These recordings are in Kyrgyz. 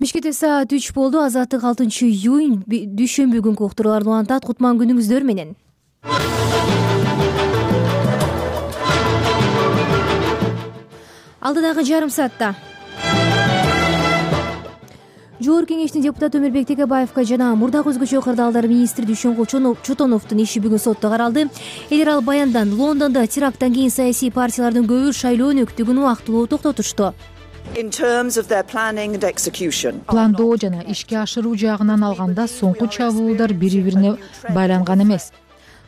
Бишкекте саат 3 болду. Азаттык 6-июнь дүйшөмбү күнкү уктурууларды улантат. Кутман күнүңүздөр менен. Алдыдагы жарым саатта Жогорку кеңештин депутаты Өмүрбек Текебаевга жана мурдагы өзгөчө кырдаалдар министри Дүйшөнкул Чотоновдун иши бүгүн сотто каралды. Элер ал баяндан Лондондо теракттан кийин саясий партиялардын көбү шайлоо өнөктүгүн убактылуу токтотушту. Пландоо жана ишке ашыруу жагынан алганда соңку чабуулдар бири-бирине байланган эмес.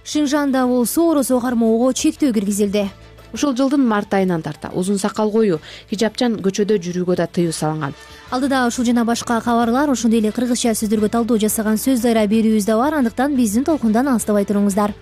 Шинжанда болсо оросо кармоого чектөө киргизилди. Ушул жылдын март айынан тарта узун сакал коюу, хижапчан көчөдө жүрүүгө да тыюу салынган. Алдыда ушул жана башка кабарлар, ошондой эле кыргызча сөздөргө талдоо жасаган сөз дайра берүүбүз да бар. Андыктан биздин толкундан алыстабай туруңуздар.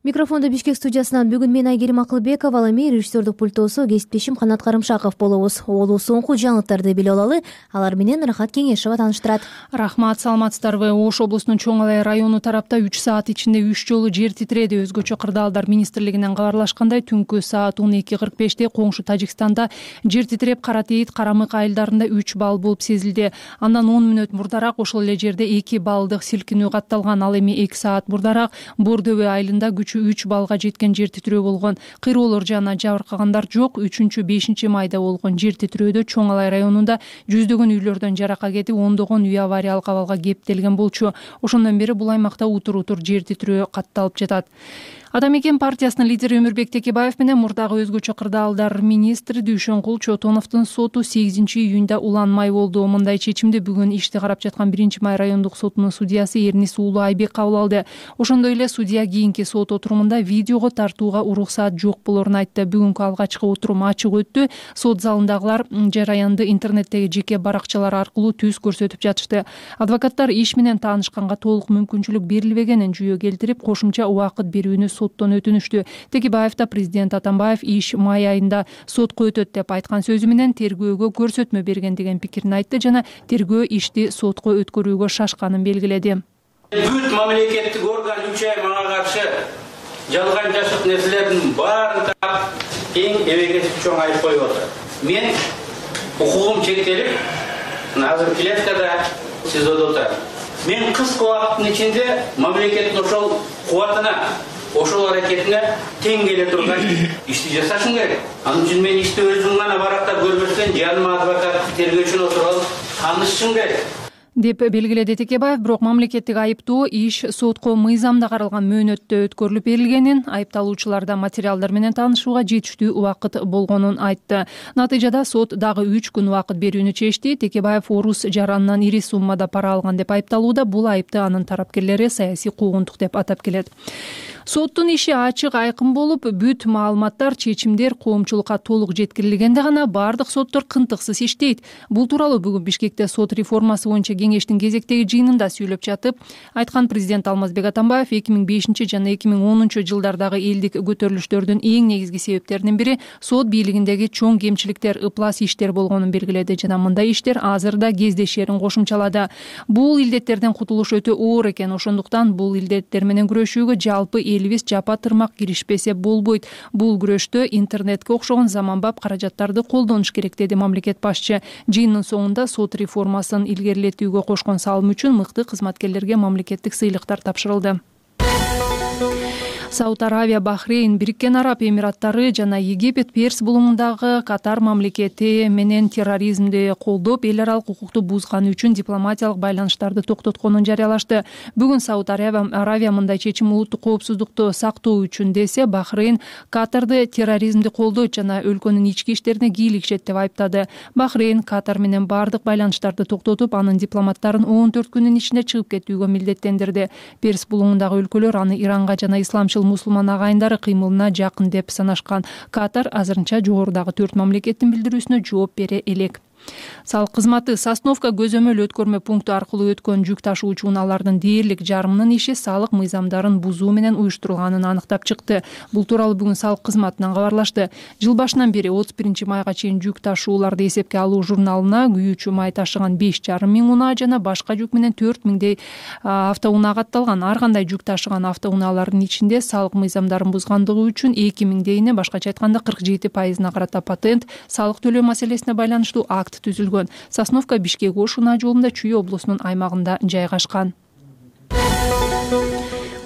Микрофондо Бишкек студиясынан бүгүн мен Айгерим Акылбекова, ал эми режиссердук пультосу кесиптешим Канат Карымшаков болобуз. Олу соңку жаңылыктарды биле алалы. Алар менен Рахат Кеңешова тааныштырат. Рахмат, саламатсыздарбы? Ош облусунун Чоң Алай району тарапта 3 саат ичинде 3 жолу жер титиреди. Өзгөчө кырдаалдар министрлигинен кабарлашкандай, түнкү саат 12:45 коңшу Тажикстанда жер титиреп, Каратейит, Карамык айылдарында 3 балл болуп сезилди. Андан 10 мүнөт мурдараак ошол эле жерде 2 баллдык силкинүү катталган. Ал эми 2 саат мурдараак Бордөбө айылында 3 балга жеткен жер титирөө болгон. Кыйроолор жана жабыркагандар жок. 3-5 майда болгон жер титирөөдө Чоң Алай районунда жүздөгөн үйлөрдөн жарака кетип, ондогон үй авариялык абалга кептелген болчу. Ошондон бери бул аймакта утур жер титирөө катталып жатат. Адам экен партиясынын лидери Өмүрбек Текебаев менен мурдагы өзгөчө кырдаалдар министри Дүйшөнкул Чотоновдун соту 8-июнда уланмай болду. Мындай чечимди бүгүн ишти карап жаткан 1-май райондук сотунун судьясы Эрнис Уулу Айбек кабыл алды. Ошондой эле судья кийинки сот отурумунда видеого тартууга уруксаат жок болорун айтты. Бүгүнкү алгачкы отурум ачык өттү. Сот залындагылар жараянды интернеттеги жеке баракчалар аркылуу түз көрсөтүп жатышты. Адвокаттар иш менен таанышканга толук мүмкүнчүлүк берилбегенин жүйө келтирип, кошумча убакыт берүүнү соттон өтүнүштү. Текебаев да президент Атамбаев иш май айында сотко өтөт деп айткан сөзү менен тергөөгө көрсөтмө берген деген пикирин айтты жана тергөө ишти сотко өткөрүүгө шашканын белгиледи. Бүт мамлекеттик орган 3 ай мага каршы жалган жашык нерселердин баарын таап, эң эбеге чоң айып коюп атат. Мен укугум чектелип, азыр клеткада СИЗОдо отурам. Мен кыска убакыттын ичинде мамлекеттин ошол кубатына, ошол аракетине тең келе турган ишти жасашым керек. Анын үчүн мен ишти өзүм гана барактап көрбөстөн, жаныма адвокат, тергөөчүнү отуруп таанышышым керек деп белгиледи Текебаев. Бирок мамлекеттик айыптоо иш сотко мыйзамда каралган мөөнөттө өткөрүлүп берилгенин, айыпталуучуларда материалдар менен таанышууга жетиштүү убакыт болгонун айтты. Натыйжада сот дагы 3 күн убакыт берүүнү чечти. Текебаев орус жаранынан ири суммада пара алган деп айыпталууда. Бул айыпты анын тарапкерлери саясий куугунтук деп атап келет. Соттун иши ачык, айкын болуп, бүт маалыматтар, чечимдер коомчулукка толук жеткирилгенде гана бардык соттор кынтыксыз иштейт. Бул тууралуу бүгүн Бишкекте сот реформасы боюнча кеңештин кезектеги жыйынында сүйлөп жатып айткан президент Алмазбек Атамбаев 2005 жана 2010 жылдардагы элдик көтөрүлүштөрдүн эң негизги себептеринин бири сот бийлигиндеги чоң кемчиликтер, ыплас иштер болгонун белгиледи жана мындай иштер азыр да кездешерин кошумчалады. Бул илдеттерден кутулуш өтө оор экен, ошондуктан бул илдеттер менен күрөшүүгө жалпы элибиз жапа тырмак киришпесе болбойт. Бул күрөштө интернетке окшогон заманбап каражаттарды колдонуш керек, деди мамлекет башчы. Жыйындын соңунда сот реформасын илгерилетүүгө кошкон салым үчүн мыкты кызматкерлерге мамлекеттик сыйлыктар тапшырылды. Сауд Аравия, Бахрейн, Бириккен Араб Эмираттары жана Египет Перс булуңундагы Катар мамлекети менен терроризмди колдоп, эл аралык укукту бузганы үчүн дипломатиялык байланыштарды токтотконун жарыялашты. Бүгүн Сауд Аравия мындай чечим улуттук коопсуздукту сактоо үчүн десе, Бахрейн Катарды терроризмди колдойт жана өлкөнүн ички иштерине кийлигишет деп айыптады. Бахрейн Катар менен бардык байланыштарды токтотуп, анын дипломаттарын 14 күнүн ичинде чыгып кетүүгө милдеттендирди. Перс булуңундагы өлкөлөр аны Иранга жана исламчыл мусулман агайындары кыймылына жакын деп санашкан. Катар азырынча жогорудагы 4 мамлекеттин билдирүүсүнө жооп бере элек. Салык кызматы Сосновка көзөмөл өткөрмө пункту аркылуу өткөн жүк ташуучу унаалардын дээрлик жарымынын иши салык мыйзамдарын бузуу менен уюштурулганын аныктап чыкты. Бул тууралуу бүгүн салык кызматынан кабарлашты. Жыл башынан бери 31 майга чейин жүк ташууларды эсепке алуу журналына күйүүчү май ташыган 5,5 миң унаа жана башка жүк менен 4 миңдей автоунаа катталган. Ар кандай жүк ташыган автоунаалардын ичинде салык мыйзамдарын бузгандыгы үчүн 2 миңдейине, башкача айтканда 47%-на карата патент, салык төлөө маселесине байланыштуу акт түзүлгөн. Сосновка Бишкек Ош унаа жолунда Чүй облусунун аймагында жайгашкан.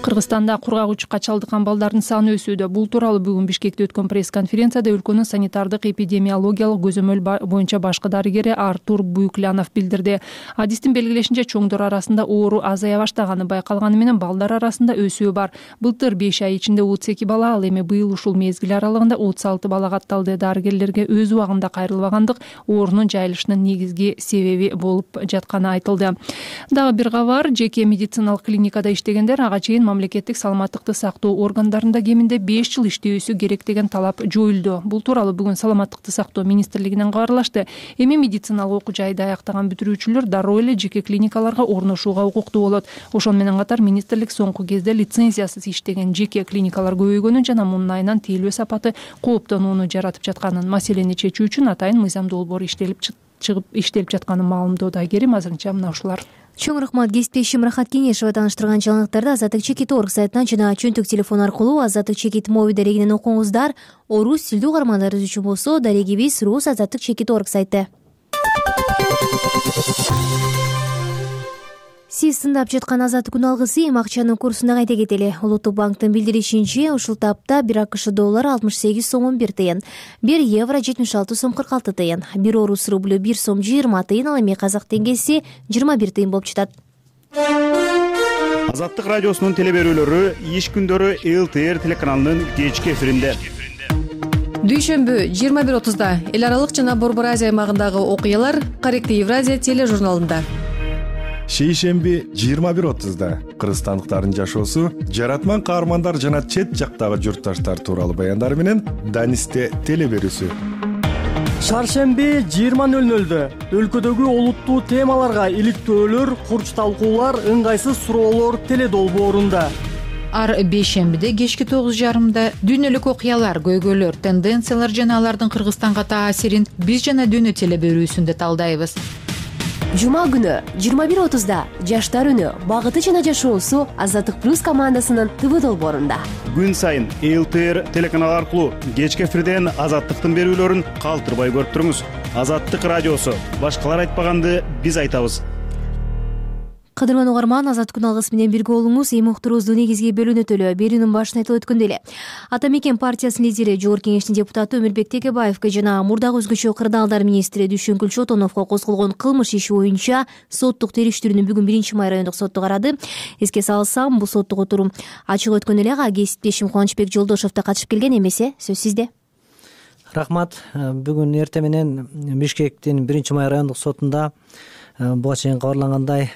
Кыргызстанда кургак учукка чалдыккан балдардын саны өсүүдө. Бул тууралуу бүгүн Бишкекте өткөн пресс-конференцияда өлкөнүн санитардык эпидемиологиялык көзөмөл боюнча башкы дарыгери Артур Буйклянов билдирди. Адистин белгилешинче, чоңдор арасында оору азая баштаганы байкалганы менен балдар арасында өсүү бар. Былтыр 5 ай ичинде 32 бала, ал эми быйыл ушул мезгил аралыгында 36 бала катталды. Дарыгерлерге өз убагында кайрылбагандык оорунун жайылышынын негизги себеби болуп жатканы айтылды. Дагы бир кабар, жеке медициналык клиникада иштегендер ага чейин мамлекеттик саламаттыкты сактоо органдарында кеминде 5 жыл иштөөсү керек деген талап жоюлду. Бул тууралуу бүгүн Саламаттыкты сактоо министрлигинен кабарлашты. Эми медициналык окуу жайды аяктаган бүтүрүүчүлөр дароо эле жеке клиникаларга орношууга укуктуу болот. Ошону менен катар министрлик соңку кезде лицензиясыз иштеген жеке клиникалар көбөйгөнүн жана мунун айынан тейлөө сапаты кооптонууну жаратып жатканын, маселени чечүү үчүн атайын мыйзам долбоору иштелип жатканын маалымдоодо. Керим, азырынча мына ушулар. Чоң рахмат. Кесиптешим Рахат Кеңешова тааныштырган жаңылыктарды Азаттык Чекит.org сайтынан жана чөнтөк телефон аркылуу Азаттык Чекит моби дарегинен окуңуздар. Орус тилдүү каармандарыбыз үчүн болсо дарегибиз Рус Азаттык Чекит.org сайты. Сиз тыңдап жаткан Азаттык күн алгысы эми акчанын курсуна кайта кетели. Улуттук банктын билдиришинче, ушул тапта 1 АКШ доллары 68 сом 1 тыйын, 1 евро 76 сом 46 тыйын, 1 орус рублю 1 сом 20 тыйын, ал эми казак теңгеси 21 тыйын болуп жатат. Азаттык радиосунун теле берүүлөрү иш күндөрү ЛТР телеканалынын кечки эфиринде. Дүйшөмбү 21:30-да эл аралык жана Борбор Азия аймагындагы окуялар Корректив Евразия тележурналында. Шейшемби 21:30-да кыргызстандыктардын жашоосу, жаратман каармандар жана чет жактагы журтташтар тууралуу баяндар менен Данисте теле берүүсү. Шаршемби 20:00-дө өлкөдөгү олуттуу темаларга иликтөөлөр, курч талкуулар, ыңгайсыз суроолор теле долбоорунда. Ар бейшембиде кечки 9:30-да дүйнөлүк окуялар, көйгөйлөр, тенденциялар жана алардын Кыргызстанга таасирин биз жана дүйнө теле берүүсүндө талдайбыз. Жума күнү 21:30-да жаштар үнү, багыты жана жашоосу Азаттык плюс командасынын ТВ долбоорунда. Күн сайын ЛТР телеканалы аркылуу кечки эфирден Азаттыктын берүүлөрүн калтырбай көрүп туруңуз. Азаттык радиосу, башкалар айтпаганды биз айтабыз. Кадырман угарман, Азаттык күн алгысы менен бирге болуңуз. Эми уктуруубуздун негизги бөлүнөтөлү берүүнүн башында айтылып өткөндөй эле. Ата мекен партиясынын лидери, Жогорку Кеңештин депутаты Өмүрбек Текебаевге жана мурдагы өзгөчө кырдаалдар министри Дүйшөнкүл Чотоновго козголгон кылмыш иши боюнча соттук териштирүүнү бүгүн 1 май райондук соту карады. Эске салсам, бул соттук отурум ачык өткөн эле. Кесиптешим Кубанычбек Жолдошов да катышып келген. Эмесе сөз сизде. Рахмат. Бүгүн эртең менен Бишкектин 1 май райондук сотунда буга чейин кабарлангандай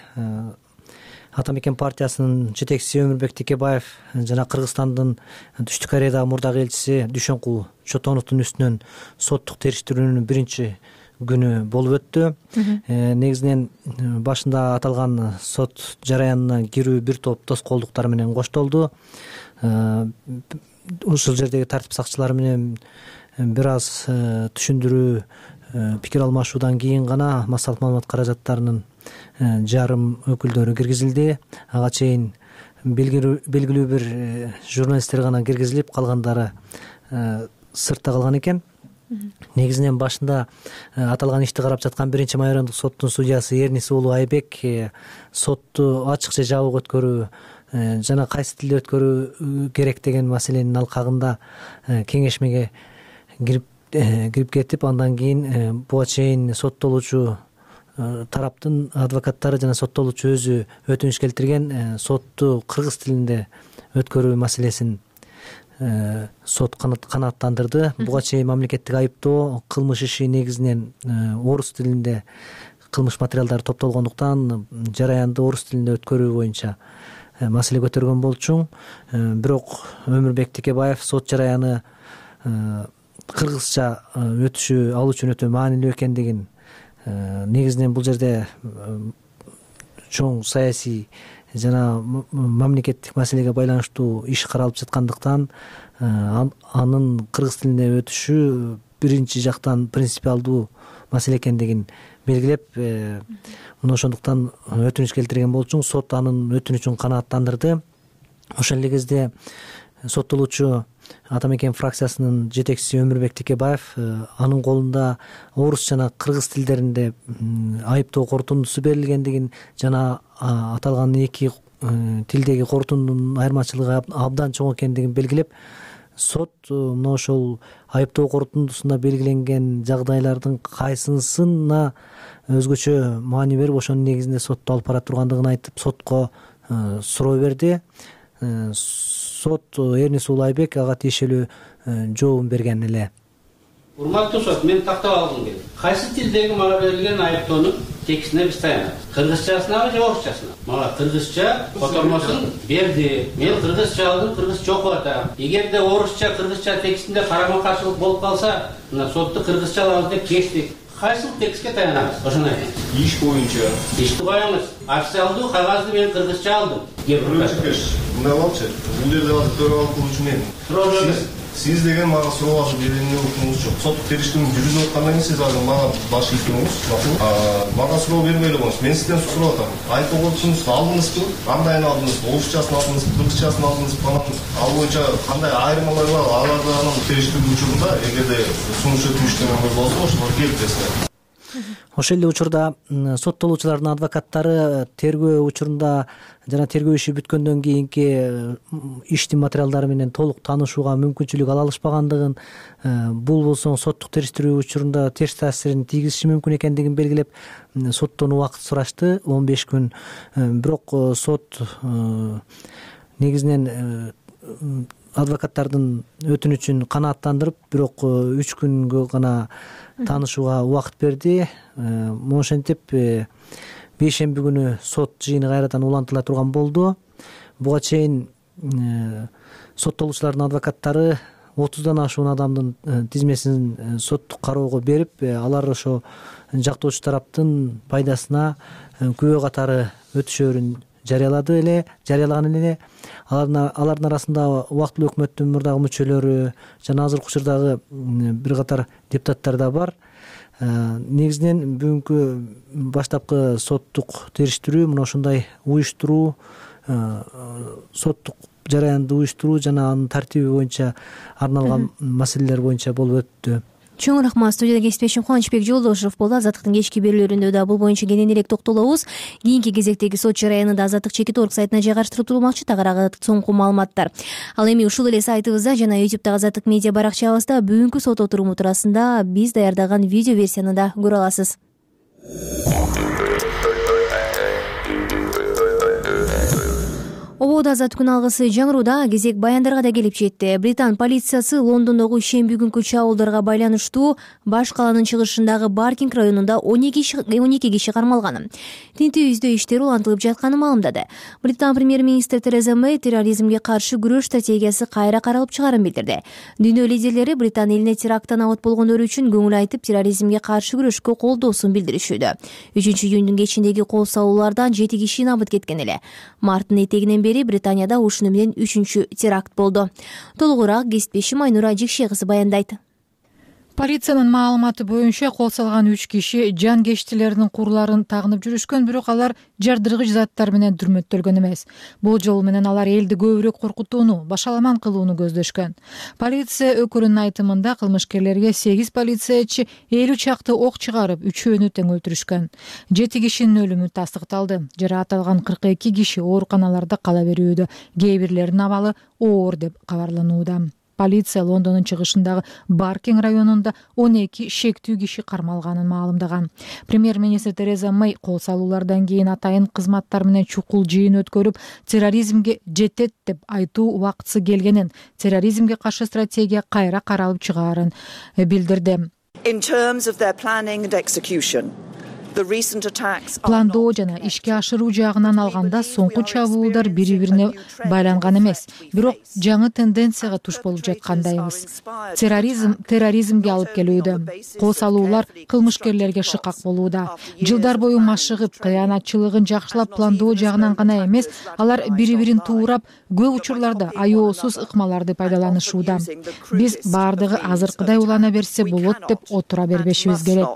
Ата мекен партиясынын жетекчиси Өмүрбек Текебаев жана Кыргызстандын Түштүк Кореядагы мурдагы элчиси Дүйшөнкул Чотоновдун үстүнөн соттук териштирүүнүн 1-күнү болуп өттү. Негизинен башында аталган сот жараянына кирүү бир топ тоскоолдуктар менен коштолду. Ушул жердеги тартип сакчылары менен бир аз түшүндүрүү, пикир алмашуудан кийин гана массалык маалымат каражаттарынын жарым өкүлдөрү киргизилди. Ага чейин белгилүү бир журналисттер гана киргизилип, калгандары сыртта калган экен. Негизинен башында аталган ишти карап жаткан 1 май райондук соттун судьясы Эрнис уулу Айбек сотту ачык же жабык өткөрүү жана кайсы тилде өткөрүү керек деген маселенин алкагында кеңешмеге кирип кетип, андан кийин буга чейин соттолуучу тараптын адвокаттары жана соттолуучу өзү өтүнүч келтирген сотту кыргыз тилинде өткөрүү маселесин сот канааттандырды. Буга чейин мамлекеттик айыптоо кылмыш иши негизинен орус тилинде кылмыш материалдары топтолгондуктан жараянды орус тилинде өткөрүү боюнча маселе көтөргөн болчу. Бирок Өмүрбек Текебаев сот жараяны кыргызча өтүшү ал үчүн өтө маанилүү экендигин негизинен бул жерде чоң саясий жана мамлекеттик маселеге байланыштуу иш каралып жаткандыктан анын кыргыз тилине өтүшү биринчи жактан принципиалдуу маселе экендигин белгилеп мына ошондуктан өтүнүч келтирген болчуң. Сот анын өтүнүчүн канааттандырды. Ошол эле кезде соттолуучу Ата мекен фракциясынын жетекчиси Өмүрбек Текебаев анын колунда орус жана кыргыз тилдеринде айыптоо корутундусу берилгендигин жана аталган эки тилдеги корутундунун айырмачылыгы абдан чоң экендигин белгилеп, сот мына ошол айыптоо корутундусунда белгиленген жагдайлардын кайсынысына өзгөчө маани берип, ошонун негизинде сотту алып бара тургандыгын айтып, сотко суроо берди. Сот Эрнис Улайбек ага тиешелүү жообун берген эле. Урматтуу сот, мен тактап алгым келет. Кайсы тилдеги мага берилген айыптоонун текстине биз таянабыз? Кыргызчасынабы же орусчасына? Мага кыргызча котормосун берди. Мен кыргызча алдым, кыргызча окуп атам. Эгерде орусча, кыргызча текстинде карама каршылык болуп калса, мына сотты кыргызчалабыз деп чечтик. Кайсы текстке таянабыз? Ошону айтыңыз. Иш боюнча. Ишти коюңуз. Официалдуу кагазды мен кыргызча алдым. Мындай болчу. Бул жерде азыр төрөбалык кылуучу мен. Сиз деген мага суроо берүүнү укугуңуз жок. Соттук териштирүүнү жүргүзүп аткандан кийин сиз азыр мага баш ийгиңиз, мага суроо бербей эле коюңуз. Мен сизден сурап атам. Айыптоо корутундусун алдыңызбы? Кандайын алдыңыз? Орусчасын алдыңызбы? Кыргызчасын алдыңызбы? Ал боюнча кандай айырмалар бар? Аларды анын териштирүү учурунда эгерде сунуш өтүнүштөр болсо, ошолор келтиресиңер. Ошол эле учурда соттолуучулардын адвокаттары тергөө учурунда жана тергөө иши бүткөндөн кийинки иштин материалдары менен толук таанышууга мүмкүнчүлүк ала алышпагандыгын, бул болсо соттук териштирүү учурунда терс таасирин тийгизиши мүмкүн экендигин белгилеп, соттон убакыт сурашты, 15 күн. Бирок сот негизинен адвокаттардын өтүнүчүн канааттандырып, бирок 3 күнгө гана таанышууга убакыт берди. Ошентип бейшемби күнү сот жыйыны кайрадан улантыла турган болду. Буга чейин соттолуучулардын адвокаттары 30дан ашуун адамдын тизмесин соттук кароого берип, алар ошо жактоочу тараптын пайдасына күбө катары өтүшөөрүн жарыялаган эле. Алардын арасында убактылуу өкмөттүн мурдагы мүчөлөрү жана азыркы учурдагы бир катар депутаттар да бар. Негизинен бүгүнкү баштапкы соттук териштирүү мына ушундай уюштуруу, соттук жараянды уюштуруу жана анын тартиби боюнча арналган маселелер боюнча болуп өттү. Чоң рахмат. Студияда кесиптешим Кубанычбек Жолдошев болду. Азаттыктын кечки берүүлөрүндө да бул боюнча кенен элек токтолобуз. Кийинки кезектеги сот жараянында Азаттык Чекит.org сайтына жайгаштырып турулмакчы. Тагыраагы соңку маалыматтар. Ал эми ушул эле сайтыбызда жана YouTube'дагы Азаттык медиа баракчабызда бүгүнкү сот отуруму туурасында биз даярдаган видео версияны да көрө аласыз. Ободо азат күн алгысы жаңырууда кезек баяндарга да келип жетти. Британ полициясы Лондондогу ишемби күнкү чабуулдарга байланыштуу баш калаанын чыгышындагы Баркинг районунда 12 киши кармалганын, тинтүү издөө иштери улантылып жатканын маалымдады. Британ премьер-министр Тереза Мэй терроризмге каршы күрөш стратегиясы кайра каралып чыгарын билдирди. Дүйнө лидерлери Британ элине теракттан абот болгондор үчүн көңүл айтып, терроризмге каршы күрөшкө колдоосун билдиришүүдө. 3-июндун кечиндеги кол салуулардан 7 киши набыт кеткен эле. Марттын этегинен Британияда ушуну менен 3-чү теракт болду. Толугураак кесиптешим Айнура Жикше кызы баяндайт. Полициянын маалыматы боюнча кол салган 3 киши жан кечтилердин курларын тагынып жүрүшкөн, бирок алар жардыргыч заттар менен дүрмөттөлгөн эмес. Бул жол менен алар элди көбүрөөк коркутууну, башаламан кылууну көздөшкөн. Полиция өкүлүнүн айтымында кылмышкерлерге 8 полициячы 50 чакты ок чыгарып, 3-өөнү тең өлтүрүшкөн. 7 кишинин өлүмү тастыкталды. Жараатталган 42 киши ооруканаларда кала берүүдө. Кээ бирлеринин абалы оор деп кабарланууда. Полиция Лондондун чыгышындагы Баркинг районунда 12 шектүү киши кармалганын маалымдаган. Премьер-министр Тереза Мэй кол салуулардан кийин атайын кызматтар менен чукул жыйын өткөрүп, терроризмге жетет деп айтуу убактысы келгенин, терроризмге каршы стратегия кайра каралып чыгаарын билдирди. In terms of their planning and execution, пландоо жана ишке ашыруу жагынан алганда соңку чабуулдар бири-бирине байланган эмес, бирок жаңы тенденцияга туш болуп жаткандайбыз. Терроризмге алып келүүдө, кол салуулар кылмышкерлерге шыкак болууда. Жылдар бою машыгып, кыянатчылыгын жакшылап пландоо жагынан гана эмес, алар бири-бирин туурап, көп учурларда аеосуз ыкмаларды пайдаланышууда. Биз баардыгы азыркыдай улана берсе болот деп отура бербешибиз керек.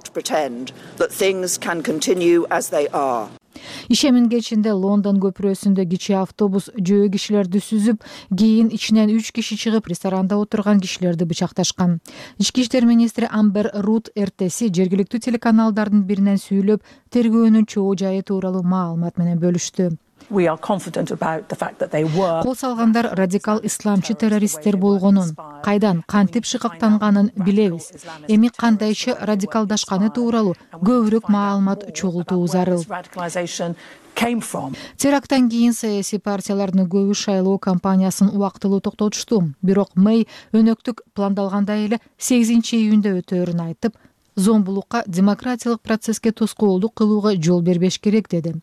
Ишемин кечинде Лондон көпүрөсүндө кичи автобус жөө кишилерди сүзүп, кийин ичинен 3 киши чыгып ресторанда отурган кишилерди бычакташкан. Ички иштер министри Амбер Рут эртеси жергиликтүү телеканалдардын биринен сүйлөп, тергөөнүн чоо жайы тууралуу маалымат менен бөлүштү. Кол салгандар радикал исламчы террористтер болгонун, кайдан, кантип шыкактанганын билебиз. Эми кандайча радикалдашканы тууралуу көбүрөөк маалымат чогултуу зарыл. Теракттан кийин саясий партиялардын көбү шайлоо кампаниясын убактылуу токтотушту. Бирок Мэй өнөктүк пландалгандай эле 8-июнда өтөөрүн айтып, зомбулукка, демократиялык процесске тоскоолдук кылууга жол бербеш керек деди.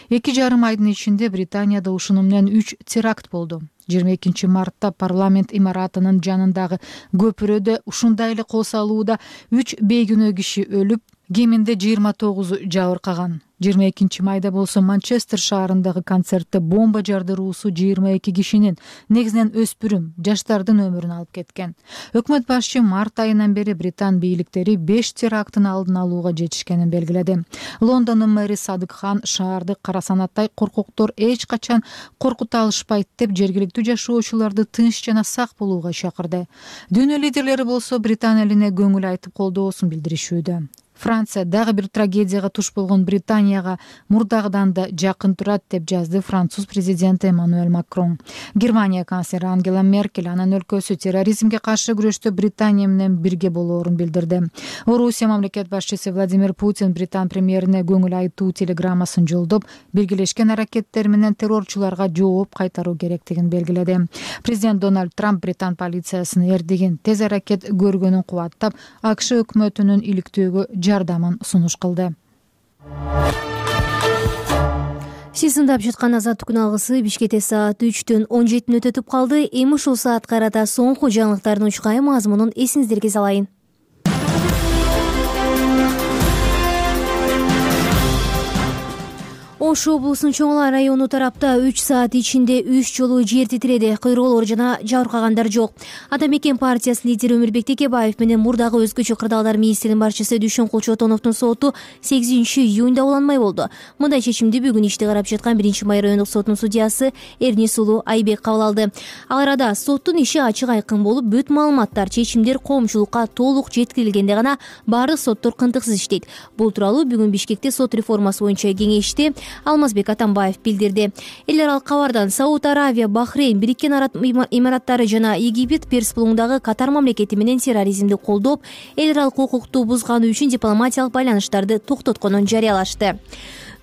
2,5 айдын ичинде Британияда ушуну менен 3 теракт болду. 22 мартта парламент имаратынын жанындагы көпүрөдө ушундай эле кол салууда 3 бейкүнөө киши өлүп, кеминде 29 жабыркаган. 22 майда болсо Манчестер шаарындагы концертте бомба жардыруусу 22 кишинин, негизинен өспүрүм, жаштардын өмүрүн алып кеткен. Өкмөт башчы март айынан бери Британ бийликтери 5 теракттын алдын алууга жетишкенин белгиледи. Лондондун мэри Садык Хан шаарды кара санаттай коркоктор эч качан коркута алышпайт деп жергиликтүү жашоочуларды тынч жана сак болууга чакырды. Дүйнө лидерлери болсо Британ элине көңүл айтып колдоосун билдиришүүдө. Франция дагы бир трагедияга туш болгон Британияга мурдагыдан да жакын турат деп жазды француз президенти Эммануэль Макрон. Германия канцлери Ангела Меркель анын өлкөсү терроризмге каршы күрөштө Британия менен бирге болоорун билдирди. Орусия мамлекет башчысы Владимир Путин Британ премьерине көңүл айтуу телеграммасын жолдоп, биргелешкен аракеттер менен террорчуларга жооп кайтаруу керектигин белгиледи. Президент Дональд Трамп Британ полициясынын эрдигин тез аракет көргөнүн кубаттап, АКШ өкмөтүнүн иликтөөгө жардамын сунуш кылды. Сиз тыңдап жаткан Азаттык күн алгысы Бишкекте саат 3-төн 17 өтүп калды. Эми ушул саатка карата соңку жаңылыктардын учкай мазмунун эсиңиздерге салайын. Ош облусунун Чоң Ала району тарапта 3 саат ичинде 3 жолу жер титиреди. Кыйроолор жана жабыркагандар жок. Ата мекен партиясы лидери Өмүрбек Текебаев менен мурдагы өзгөчө кырдаалдар министринин башчысы Дүйшөнкул Чотоновдун соту 8-июнда уланмай болду. Мындай чечимди бүгүн ишти карап жаткан 1-май райондук сотунун судьясы Эрнис Улуу Айбек кабыл алды. Ал арада соттун иши ачык айкын болуп, бүт маалыматтар, чечимдер коомчулукка толук жеткирилгенде гана баардык соттор кынтыксыз иштейт. Бул тууралуу бүгүн Бишкекте сот реформасы боюнча кеңеште Алмазбек Атамбаев билдирди. Эл аралык кабардан Сауд Аравия, Бахрейн, Бириккен Араб Имараттары жана Египет Перс булуңдагы Катар мамлекети менен терроризмди колдоп, эл аралык укукту бузганы үчүн дипломатиялык байланыштарды токтотконун жарыялашты.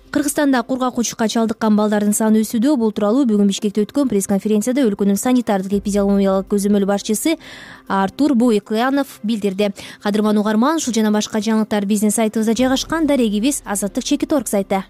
Кыргызстанда кургак учукка чалдыккан балдардын саны өсүүдө. Бул тууралуу бүгүн Бишкекте өткөн пресс-конференцияда өлкөнүн санитардык эпидемиологиялык көзөмөл башчысы Артур Буйкуянов билдирди. Кадырман угарман, ушул жана башка жаңылыктар биздин сайтыбызда жайгашкан. Дарегибиз Азаттык.org сайты.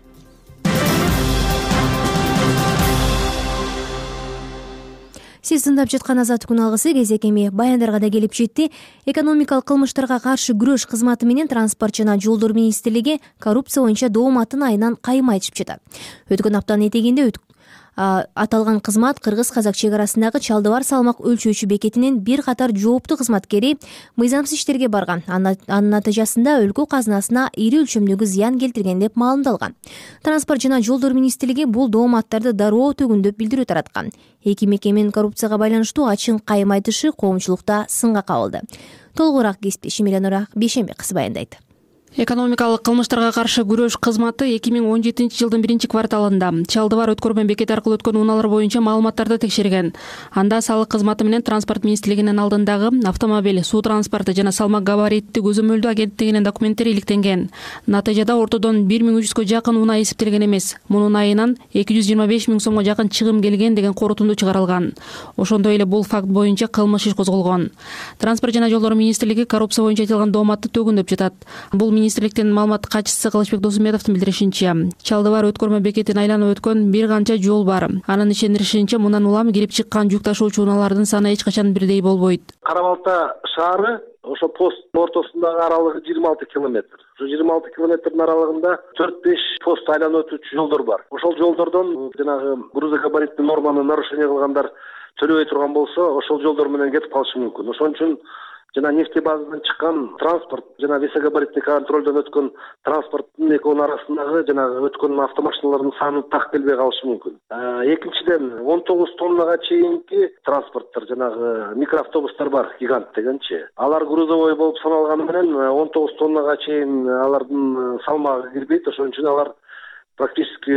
Сиз тыңдап жаткан Азаттык күн алгысы кезек эми баяндарга да келип жетти. Экономикалык кылмыштарга каршы күрөш кызматы менен Транспорт жана жолдор министрлиги коррупция боюнча дооматын айынан кайым айтышып жатат. Өткөн аптанын этегинде аталган кызмат кыргыз-казак чек арасындагы Чалдыбар салмак өлчөөчү бекетинин бир катар жооптуу кызматкери мыйзамсыз иштерге барган. Анын натыйжасында өлкө казынасына ири өлчөмдөгү зыян келтирген деп маалымдалган. Транспорт жана жолдор министрлиги бул дооматтарды дароо төгүндөп билдирүү тараткан. Эки мекеменин коррупцияга байланыштуу ачык кайым айтышы коомчулукта сынга кабылды. Толугураак кесиптешим Эленора Бейшенбек кызы баяндайт. Экономикалык кылмыштарга каршы күрөш кызматы 2017 жылдын 1-кварталында Чалдыбар өткөрмө бекети аркылуу өткөн унаалар боюнча маалыматтарды текшерген. Анда салык кызматы менен Транспорт министрлигинин алдындагы автомобиль, суу транспорты жана салмак габаритти көзөмөлдөө агенттигинин документтери иликтенген. Натыйжада ортодон 1300га жакын унаа эсептелген эмес. Мунун айынан 225 000 сомго жакын чыгым келген деген корутунду чыгарылган. Ошондой эле бул факт боюнча кылмыш иш козголгон. Транспорт жана жолдор министрлиги коррупция боюнча айтылган дооматты төгүндөп жатат. Бул министрликтин маалымат катчысы Кылычбек Досумбетовдун билдиришинче, Чалдыбар өткөрмө бекетин айланып өткөн бир канча жол бар. Анын ишендиришинче, мындан улам кирип чыккан жүк ташуучу унаалардын саны эч качан бирдей болбойт. Кара Балта шаары ошо пост ортосундагы аралыгы 26 километр. Ошо 26 километрдин аралыгында 4-5 пост айланып өтүүчү жолдор бар. Ошол жолдордон жанагы грузогабариттик норманы нарушение кылгандар төлөбөй турган болсо, ошол жолдор менен кетип калышы мүмкүн. Ошон үчүн жана нефтебазадан чыккан транспорт жана весогабариттик контролдон өткөн транспорттун экөөнүн арасындагы жанагы өткөн автомашиналардын саны так келбей калышы мүмкүн. Экинчиден 19 тоннага чейинки транспорттор жанагы микроавтобустар бар, гигант дегенчи. Алар грузовой болуп саналганы менен 19 тоннага чейин алардын салмагы кирбейт. Ошон үчүн алар практически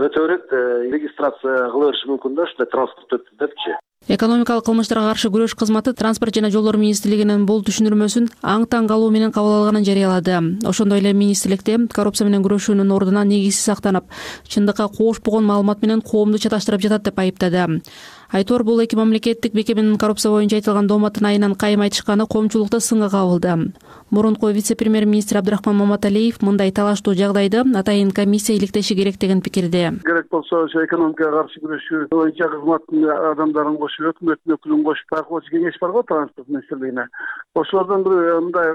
өтө берет, регистрация кыла бериши мүмкүн да, ушундай транспорт өттү депчи. Экономикалык кылмыштарга каршы күрөш кызматы Транспорт жана жолдор министрлигинин бул түшүндүрмөсүн аң-таң калуу менен кабыл алганын жарыялады. Ошондой эле министрликте коррупция менен күрөшүүнүн ордуна негизсиз сактанып, чындыкка кошпогон маалымат менен коомду чаташтырып жатат деп айыптады. Айтор бул эки мамлекеттик бекеменин коррупция боюнча айтылган дооматтын айынан кайым айтышканы коомчулукта сынга кабылды. Мурунку вице-премьер-министр Абдрахман Маматалиев мындай талаштуу жагдайды атайын комиссия иликтеши керек деген пикирде. Керек болсо ошо экономикага каршы күрөшүү боюнча кызматтын адамдарын кошуп, өкмөттүн өкүлүн кошуп, бакылоочу кеңеш бар го транспорт министрлигине. Ошолордон бир мындай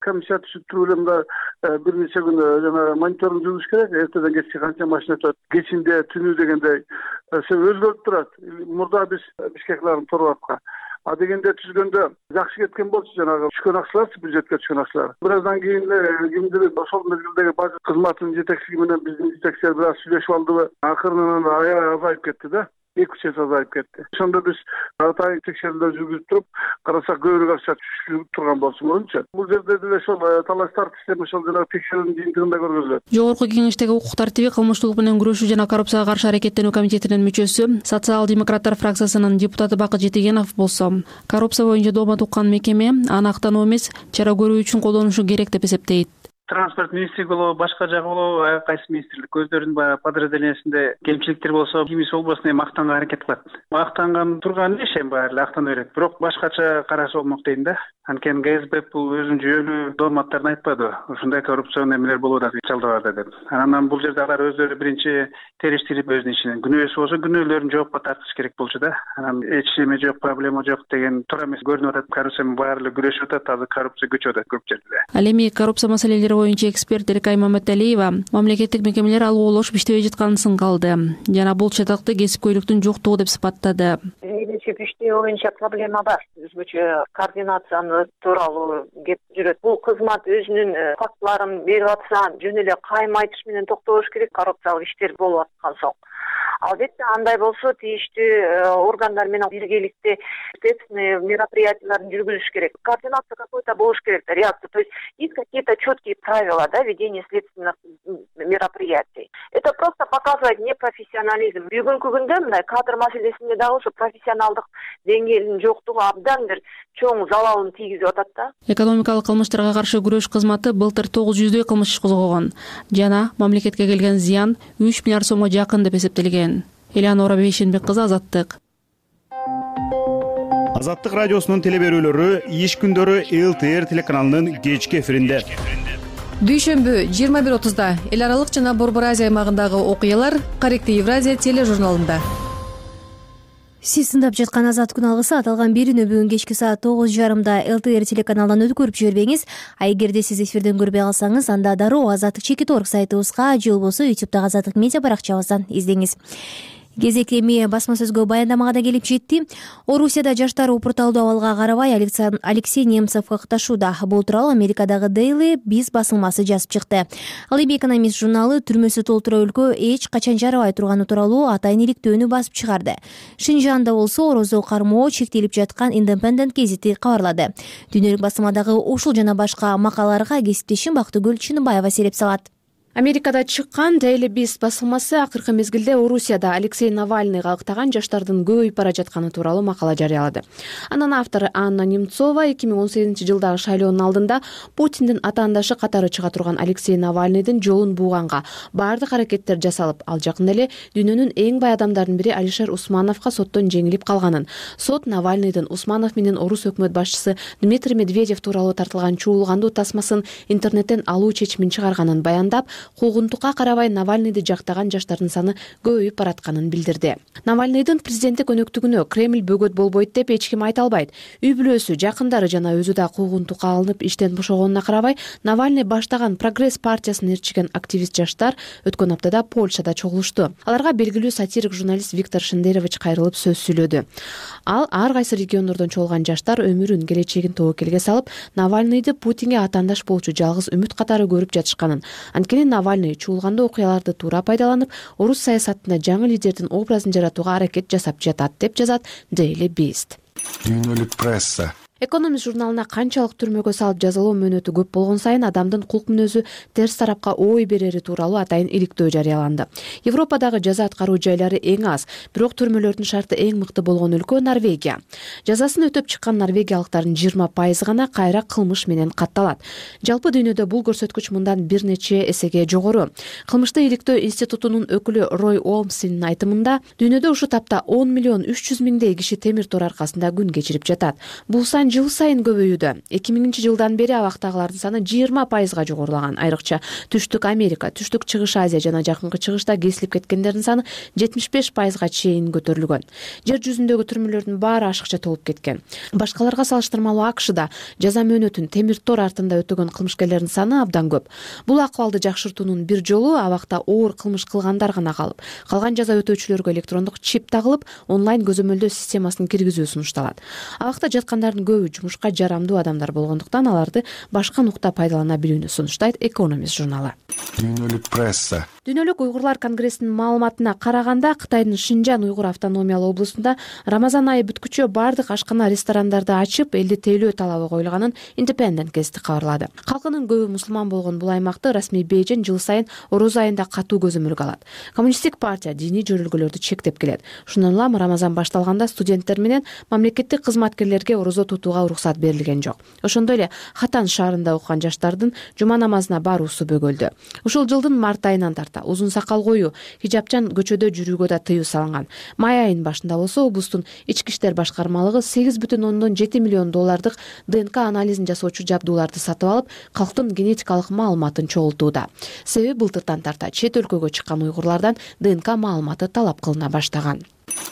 комиссия түзүп туруп эле мындай бир нече күн жана мониторинг жүргүзүш керек. Эртеден кечке канча машина өтөт, кечинде, түнү дегендей өзгөрүп турат. Мурда биз Бишкеклардын торбатка дегенде түзгөндө жакшы кеткен болчу, жанагы түшкөн акчалар, бюджетке түшкөн акчалар. Бир аздан кийин кимдир ошол мезгилдеги бажы кызматынын жетекчилиги менен биздин жетекчилер бир аз сүйлөшүп алдыбы, акырынан аябай азайып кетти да. 2-3 эсе азайып кетти. Ошондо биз атайын текшерүүлөр жүргүзүп туруп, карасак көбүрөөк акча түшүп турган болчу мурунчу. Бул жерде деле ошол талаштар система ошол жана текшерүүнүн жыйынтыгында көргөзүлөт. Жогорку кеңештеги укук тартиби, кылмыштуулук менен күрөшүү жана коррупцияга каршы аракеттенүү комитетинин мүчөсү, социал-демократтар фракциясынын депутаты Бакыт Жетигенов болсо, коррупция боюнча доомат уккан мекеме аны актануу эмес, чара көрүү үчүн колдонушу керек деп эсептейт. Транспорт министрлиги болобу, башка жагы болобу, кайсы министрлик өздөрүнүн баягы подразделениясинде кемчиликтер болсо, кимиси болбосун эми актанганга аракет кылат. Актанган турган иш эми баары эле актана берет. Бирок башкача караса болмок дейм да. Анткени ГСБ бул өзүнүн жүйөлүү дооматтарын айтпады. Ушундай коррупцион эмелер болуп атат Чалдыбарда деп. Анан бул жерде алар өздөрү биринчи териштирип өзүнүн ишинен күнөөсү болсо күнөөлөрүн жоопко тартыш керек болчу да. Анан эч неме жок, проблема жок деген туура эмес көрүнүп атат. Коррупция менен баары эле күрөшүп атат, азыр коррупция көчүп атат көп жерде. Ал эми коррупция маселелери боюнча эксперт Эркай Маматалиева мамлекеттик мекемелер алгу-болуш иштебей жатканын сынгалды жана бул чатакты кесипкөйлүктүн жоктугу деп сыпаттады. Иштөө боюнча проблема бар. Өзгөчө координацияны тууралуу кеп жүрөт. Бул кызмат өзүнүн фактыларын берип атса, жөн эле кайым айтыш менен токтош керек. Коррупциялык иштер болуп аткан соң. Албетте андай болсо тийиштүү органдар менен биргеликте следственный мероприятияларын жүргүзүш керек. Координация какой-то болуш керек, реакция. То есть есть какие-то четкие правила, да, ведения следственных мероприятий. Это просто показывает непрофессионализм. Бүгүнкү күндө мындай кадр маселесинде дагы ушу профессионалдык деңгээлинин жоктугу абдан бир чоң залалын тийгизип атат да. Экономикалык кылмыштарга каршы күрөш кызматы былтыр 900 кылмыш иш козгогон жана мамлекетке келген зыян 3 миллиард сомго жакын деп эсептелген. Элеонора Бейшенбек кызы, Азаттык. Азаттык радиосунун телеберүүлөрү иш күндөрү ЛТР телеканалынын кечки эфиринде. Дүйшөмбү 21:30 эл аралык жана Борбор Азия аймагындагы окуялар Корректив Евразия тележурналында. Сиз тыңдап жаткан Азат күн алгысы аталган берүүнү бүгүн кечки саат 9:30 ЛТР телеканалынан өткөрүп жибербеңиз. А эгерде сиз эфирден көрбөй калсаңыз, анда дароо azattik.org сайтыбызга же болбосо YouTube'дагы Азаттык медиа баракчабыздан издеңиз. Кезек эми басма сөзгө баяндамага да келип жетти. Орусияда жаштар упурталдуу абалга карабай Алексей Немцев катташууда. Бул тууралуу Америкадагы Daily биз басылмасы жазып чыкты. Ал эми Экономист журналы түрмөсү толтура өлкө эч качан жарабай турганы тууралуу атайын иликтөөнү басып чыгарды. Шинжанда болсо орозо кармоо чектелип жаткан Independent гезити кабарлады. Дүйнөлүк басылмадагы ушул жана башка макалаларга кесиптешим Бактыгүл Чыныбаева сереп салат. Америкада чыккан Daily Beast басылмасы акыркы мезгилде Орусияда Алексей Навальныйга ыктаган жаштардын көбөйүп бара жатканы тууралуу макала жарыялады. Анын автору Анна Немцова 2018-жылдагы шайлоонун алдында Путиндин атаандашы катары чыга турган Алексей Навальныйдын жолун бууганга баардык аракеттер жасалып, ал жакында эле дүйнөнүн эң бай адамдарынын бири Алишер Усмановго соттон жеңилип калганын, сот Навальныйдын Усманов менен орус өкмөт башчысы Дмитрий Медведев тууралуу тартылган чуулгандуу тасмасын интернеттен алуу чечимин чыгарганын баяндап, куугунтукка карабай Навальныйды жактаган жаштардын саны көбөйүп баратканын билдирди. Навальныйдын президенттик өнөктүгүнө Кремль бөгөт болбойт деп эч ким айта албайт. Үй бүлөсү, жакындары жана өзү да куугунтукка алынып иштен бошогонуна карабай, Навальный баштаган Прогресс партиясын ээрчиген активист жаштар өткөн аптада Польшада чогулушту. Аларга белгилүү сатирик журналист Виктор Шендерович кайрылып сөз сүйлөдү. Ал ар кайсы региондордон чогулган жаштар өмүрүн, келечегин тобокелге салып, Навальныйды Путинге атаандаш болчу жалгыз үмүт катары көрүп жатышканын, анткени Навальный чуулгандуу окуяларды туура пайдаланып, орус саясатында жаңы лидердин образын жаратууга аракет жасап жатат деп жазат Daily Beast. Дүйнөлүк пресса. Экономист журналына канчалык түрмөгө салып жазалоо мөөнөтү көп болгон сайын адамдын кулк мүнөзү терс тарапка ой берери тууралуу атайын иликтөө жарыяланды. Европадагы жаза аткаруу жайлары эң аз, бирок түрмөлөрдүн шарты эң мыкты болгон өлкө Норвегия. Жазасын өтөп чыккан норвегиялыктардын 20% гана кайра кылмыш менен катталат. Жалпы дүйнөдө бул көрсөткүч мындан бир нече эсеге жогору. Кылмышты иликтөө институтунун өкүлү Рой Олмсинин айтымында, дүйнөдө ушул тапта 10.300.000 киши темир тор аркасында күн кечирип жатат. Бул сан жыл сайын көбөйүүдө. 2000-жылдан бери абактагылардын саны 20%га жогорулаган. Айрыкча Түштүк Америка, Түштүк Чыгыш Азия жана Жакынкы Чыгышта кесилип кеткендердин саны 75%га чейин көтөрүлгөн. Жер жүзүндөгү түрмөлөрдүн баары ашыкча толуп кеткен. Башкаларга салыштырмалуу АКШда жаза мөөнөтүн темир тор артында өтөгөн кылмышкерлердин саны абдан көп. Бул акыбалды жакшыртуунун бир жолу абакта оор кылмыш кылгандар гана калып, калган жаза өтөөчүлөргө электрондук чип тагылып, онлайн көзөмөлдөө системасын киргизүү сунушталат. Абакта жаткандардын көбү жумушка жарамдуу адамдар болгондуктан аларды башка нукта пайдалана билүүнү сунуштайт Экономист журналы. Дүйнөлүк пресса. Дүйнөлүк уйгурлар конгрессинин маалыматына караганда, Кытайдын Шинжан уйгур автономиялуу облусунда Рамазан айы бүткүчө бардык ашкана, ресторандарды ачып, элди тейлөө талабы коюлганын Independent газети кабарлады. Калкынын көбү мусулман болгон бул аймакты расмий Бейжин жыл сайын Ороз айында катуу көзөмөлгө алат. Коммунисттик партия диний жөрөлгөлөрдү чектеп келет. Шундан улам Рамазан башталганда студенттер менен мамлекеттик кызматкерлерге орозо тутууга уруксат берилген жок. Ошондой эле Хатан шаарында окуган жаштардын жума намазына баруусу бөгөлдү. Ушул жылдын март айынан тарта узун сакал коюу, хижапчан көчөдө жүрүүгө да тыюу салынган. Май айынын башында болсо облустун ички иштер башкармалыгы $8,7 миллион ДНК анализин жасоочу жабдууларды сатып алып, калктын генетикалык маалыматын чогултууда. Себеби былтыртан тарта чет өлкөгө чыккан уйгурлардан ДНК маалыматы талап кылына баштаган.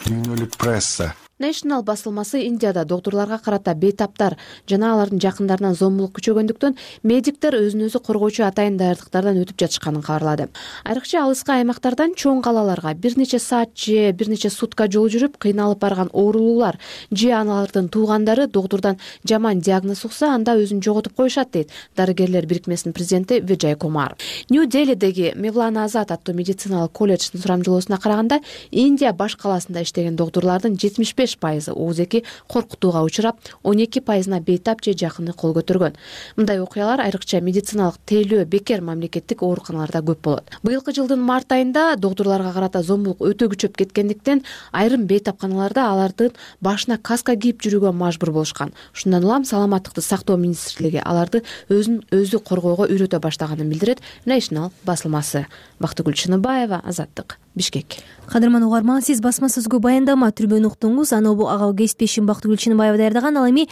Дүйнөлүк пресса. National басылмасы Индияда доктурларга карата бейтаптар жана алардын жакындарынан зомбулук күчөгөндүктөн медиктер өзүн өзү коргоочу атайын даярдыктардан өтүп жатышканын кабарлады. Айрыкча алыскы аймактардан чоң калаларга бир нече саат же бир нече сутка жол жүрүп кыйналып барган оорулуулар же аналардын туугандары доктурдан жаман диагноз укса, анда өзүн жоготуп коюшат, дейт Дарыгерлер бирикмесинин президенти Виджай Кумар. Нью-Делидеги Мевлана Азат аттуу медициналык колледждин сурамжылоосуна караганда, Индия баш каласында иштеген доктурлардын 75% ооз-эки коркутууга учурап, 12%-на бейтап же жакыны кол көтөргөн. Мындай окуялар айрыкча медициналык тейлөө бекер мамлекеттик ооруканаларда көп болот. Быйылкы жылдын март айында доктурларга карата зомбулук өтө күчөп кеткендиктен, айрым бейтапканаларда алардын башына каска кийип жүрүүгө мажбур болушкан. Ушундан улам саламаттыкты сактоо министрлиги аларды өзүн өзү коргоого үйрөтө баштаганын билдирет National басылмасы. Бактыгүл Чыныбаева, Азаттык, Бишкек. Кадырман угарман, сиз басма сөзгө баяндама түрбөнү уктуңуз. Аны ага кесиптешим Бактыгүл Чыныбаева даярдаган. Ал эми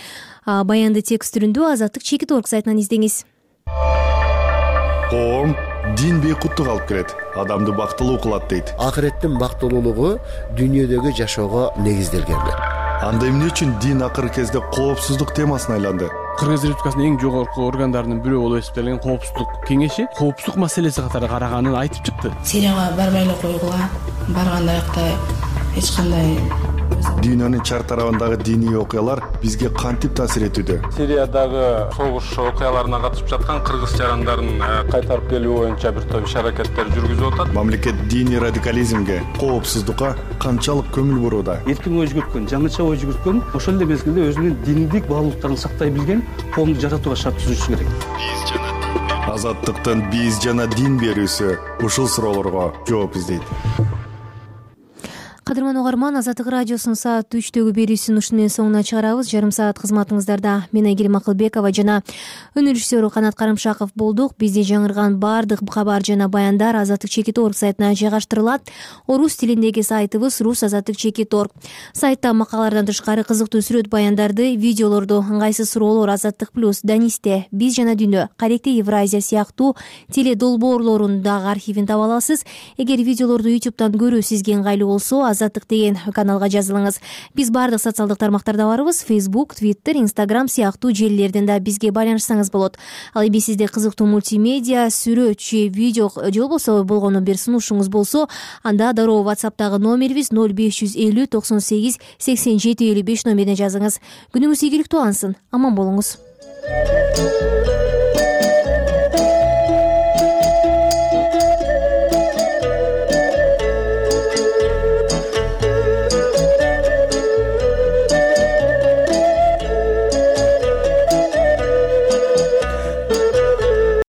баянды текст түрүндө Азаттык Чекит.org сайтынан издеңиз. Коом дин бейкуттук алып келет, адамды бактылуу кылат дейт. Акыреттин бактылуулугу дүйнөдөгү жашоого негизделген. Анда эмне үчүн дин акыркы кезде коопсуздук темасына айланды? Кыргыз Республикасынын эң жогорку органдарынын бирөө болуп эсептелген Коопсуздук кеңеши коопсуздук маселеси катары караганын айтып чыкты. Сирияга барбай эле койгула, барганда аякта эч кандай Дүйнөнүн чар тарабындагы диний окуялар бизге кантип таасир этүүдө? Сириядагы согуш окуяларына катышып жаткан кыргыз жарандарын кайтарып келүү боюнча бир топ иш-аракеттер жүргүзүп атат. Мамлекет диний радикализмге, коопсуздукка канчалык көңүл бурууда? Эркин ой жүгүрткөн, жаңыча ой жүгүрткөн, ошол эле мезгилде өзүнүн диндик баалуулуктарын сактай билген коомду жаратууга шарт түзүшү керек. Азаттыктын биз жана дин берүүсү ушул суроолорго жооп издейт. Кадырман угарман, Азаттык радиосунун саат 3дөгү берүүсүн ушуну менен соңуна чыгарабыз. Жарым саат кызматыңыздарда мен Айгерим Акылбекова жана өнөр режиссеру Канат Карымшаков болдук. Бизде жаңырган баардык кабар жана баяндар azattik.org сайтына жайгаштырылат. Орус тилиндеги сайтыбыз rus.azattik.org. Сайтта макалалардан тышкары кызыктуу сүрөт баяндарды, видеолорду, ыңгайсыз суроолор Азаттык плюс, Данисте, Биз жана дүйнө, Каректи Евразия сыяктуу теле долбоорлорунун дагы архивин таба аласыз. Эгер видеолорду YouTube'дан көрүү сизге ыңгайлуу болсо, Азаттык деген каналга жазылыңыз. Биз баардык социалдык тармактарда барбыз. Facebook, Twitter, Instagram сыяктуу желилерден да бизге байланышсаңыз болот. Ал эми сизде кызыктуу мультимедиа, сүрөт же видео же болбосо болгону бир сунушуңуз болсо, анда дароо WhatsApp'тагы номерибиз 0550 98 87 55 номерине жазыңыз. Күнүңүз ийгиликтүү алсын. Аман болуңуз.